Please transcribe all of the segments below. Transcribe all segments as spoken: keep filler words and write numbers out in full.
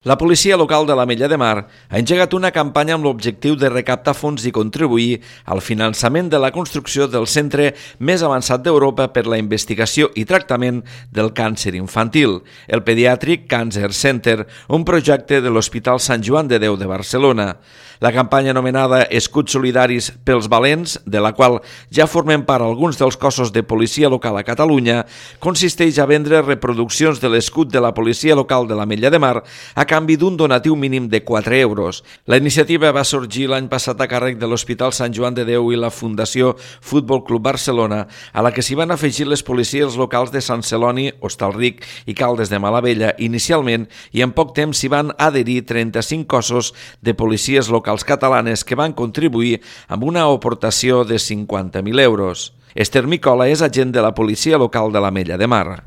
La policia local de l'Ametlla de Mar ha engegat una campanya amb l'objectiu de recaptar fons i contribuir al finançament de la construcció del centre més avançat d'Europa per la investigació i tractament del càncer infantil, el Pediatric Cancer Center, un projecte de l'Hospital Sant Joan de Déu de Barcelona. La campanya anomenada Escuts Solidaris pels Valents, de la qual ja formen part alguns dels cossos de policia local a Catalunya, consisteix a vendre reproduccions de l'escut de la policia local de l'Ametlla de Mar a canvi d'un donatiu mínim de quatre euros. La iniciativa va sorgir l'any passat a càrrec de l'Hospital Sant Joan de Déu i la Fundació Futbol Club Barcelona, a la que s'hi van afegir les policies locals de Sant Celoni, Hostalric i Caldes de Malavella inicialment, i en poc temps s'hi van adherir trenta-cinc cossos de policies locals catalanes que van contribuir amb una aportació de cinquanta mil euros. Esther Micola és agent de la policia local de l'Ametlla de Mar.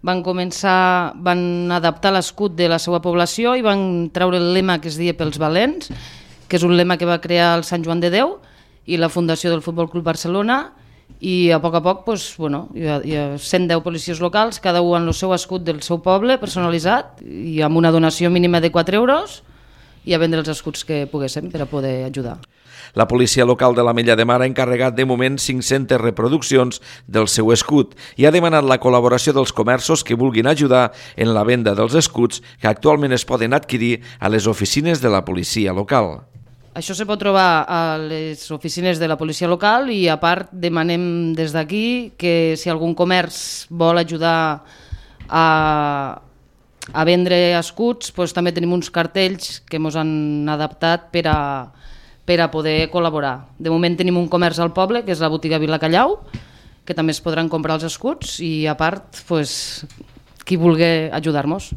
Van començar, van adaptar l'escut de la seva població i van treure el lema que es deia pels valents, que és un lema que va crear el Sant Joan de Déu i la Fundació del Futbol Club Barcelona, i a poc a poc doncs, bueno, hi ha, hi ha cent deu policies locals, cada un amb el seu escut del seu poble personalitzat i amb una donació mínima de quatre euros, i a vendre els escuts que poguéssim per a poder ajudar. La policia local de l'Ametlla de Mar ha encarregat de moment cinc-centes reproduccions del seu escut i ha demanat la col·laboració dels comerços que vulguin ajudar en la venda dels escuts que actualment es poden adquirir a les oficines de la policia local. Això se pot trobar a les oficines de la policia local i a part demanem des d'aquí que si algun comerç vol ajudar a a vendre escuts, doncs també tenim uns cartells que ens han adaptat per a, per a poder col·laborar. De moment tenim un comerç al poble, que és la botiga Vila Callau, que també es podran comprar els escuts i a part, doncs, qui vulgui ajudar-nos.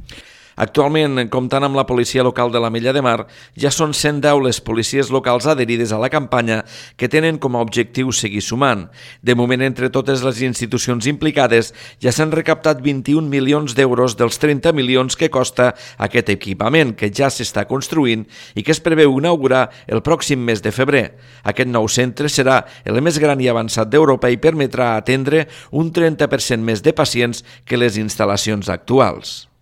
Actualment, comptant amb la policia local de l'Ametlla de Mar, ja són cent deu les policies locals adherides a la campanya que tenen com a objectiu seguir sumant. De moment, entre totes les institucions implicades, ja s'han recaptat vint-i-un milions d'euros dels trenta milions que costa aquest equipament, que ja s'està construint i que es preveu inaugurar el pròxim mes de febrer. Aquest nou centre serà el més gran i avançat d'Europa i permetrà atendre un trenta per cent més de pacients que les instal·lacions actuals.